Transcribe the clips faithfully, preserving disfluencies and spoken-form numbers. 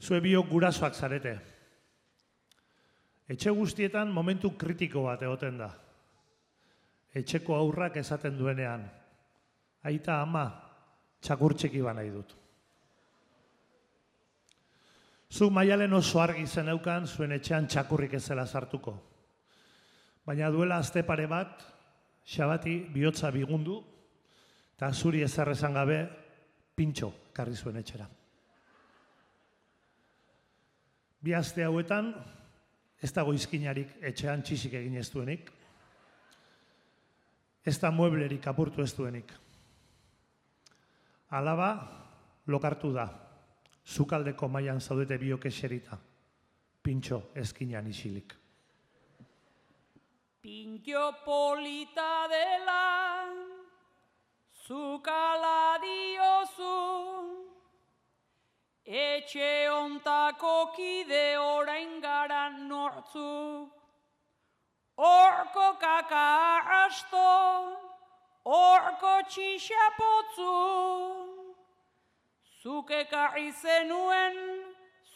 Zue biok gurasoak zarete. Etxe guztietan momentu kritiko bat egoten da. Etxeko aurrak esaten duenean, aita ama, txakur txiki ba nahi dut. Zuk Maialen oso argi zeneukan zuen etxean txakurrik ez zela sartuko. Baina duela aste pare bat, Xabati bihotza bigundu, eta zuri ezer esan gabe, pintxo karri zuen etxera. Bi aste hauetan, ez dago izkinarik etxean txisik egin ez duenik, ez da mueblerik apurtu ez duenik. Alaba, lokartu da, zukaldeko mailan zaudete biok eserita, pintxo ezkinan isilik. Pintxo polita dela, zukala diozu, etxe ontako kide orain gara nortzu. Horko kaka asto, horko txixapotzu, zuk ekarri zenuen,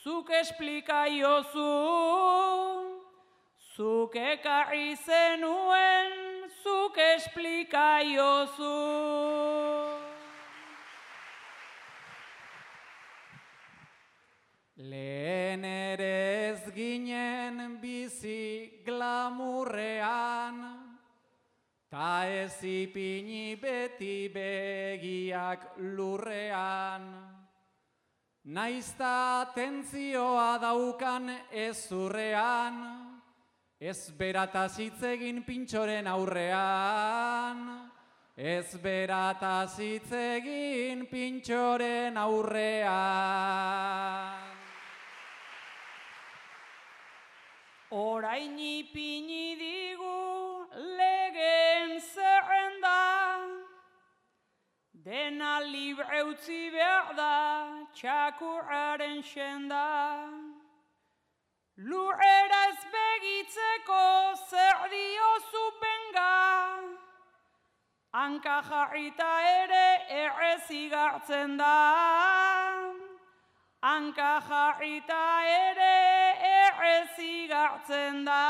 zuk esplikaiozu. Zuk ekarri zenuen, zuk esplikaiozu. Lehen ere ez ginen bizi glamurrean, ta ez ipini beti begiak lurrean. Naizta atentzioa daukan ezurrean, ez berataz hitz egin pintxoren aurrean, ez berataz hitz egin pintxoren aurrean. Orain ipini digu legeen zerrenda, dena libre utzi behar da txakurraren senda. Lurrera ez begitzeko zer diozu benga, hanka jarrita ere errez igartzen da. Hanka jarrita ere errez igartzen da.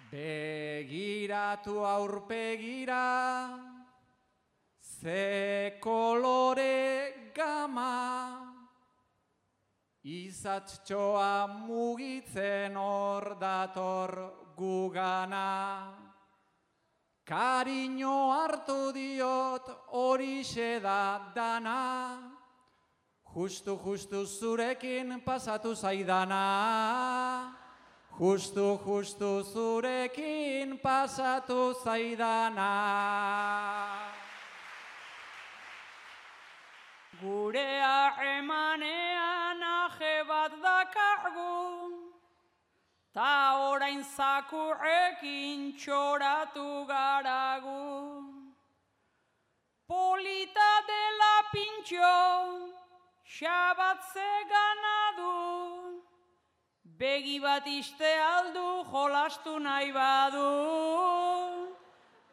Begiratu aurpegira, ze kolore gama, izatxoa mugitzen hor dator gugana. Kariño hartu diot horixe da dana, justu justu zurekin pasatu zaidana. Justu justu zurekin pasatu zaidana. Gure harremanean aje bat dakargu, ta orain zakurrekin txoratu garagu. Polita dela pintxo, Xabat ze ganadu, begi bat iste aldu jolastu nahi badu.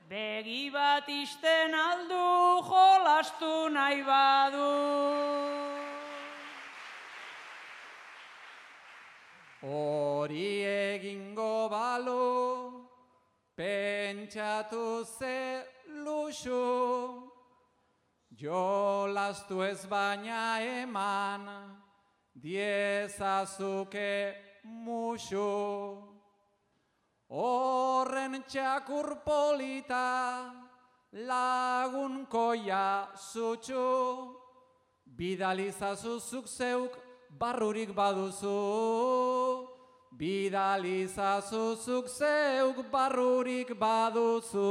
Begi bat isten aldu jolastu nahi badu. Hori egingo balu, pentsatu ze luxu, jolastu ez baina eman, diezazuke musu. Horren txakur polita, lagunkoia zutxu, bidalizazu zuk zeuk barrurik baduzu. Bidalizazu zuk zeuk barrurik baduzu.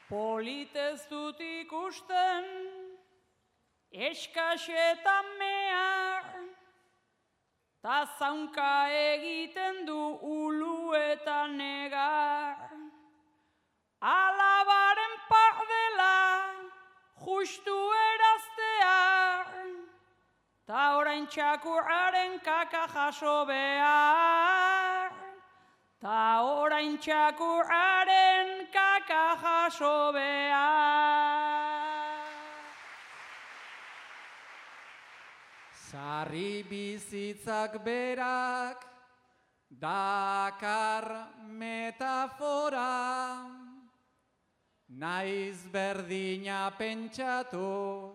Politez dut ikusten, eskaxetan mehar, ta zaunka egiten du ulu eta negar. Alabaren pardela, justu eraztear, ta orain txakurraren kaka jaso behar. Ta orain txakurraren kaka jaso behar. Sarri bizitzak berak dakar metafora, naiz berdina pentsatu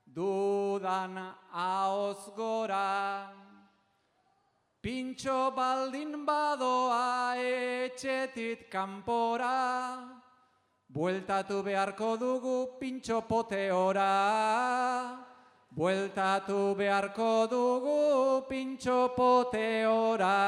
dudan ahoz gora. Pintxo baldin badoa etxetit kanpora, bueltatu beharko dugu pintxo poteora. Bueltatu beharko dugu pintxo poteora.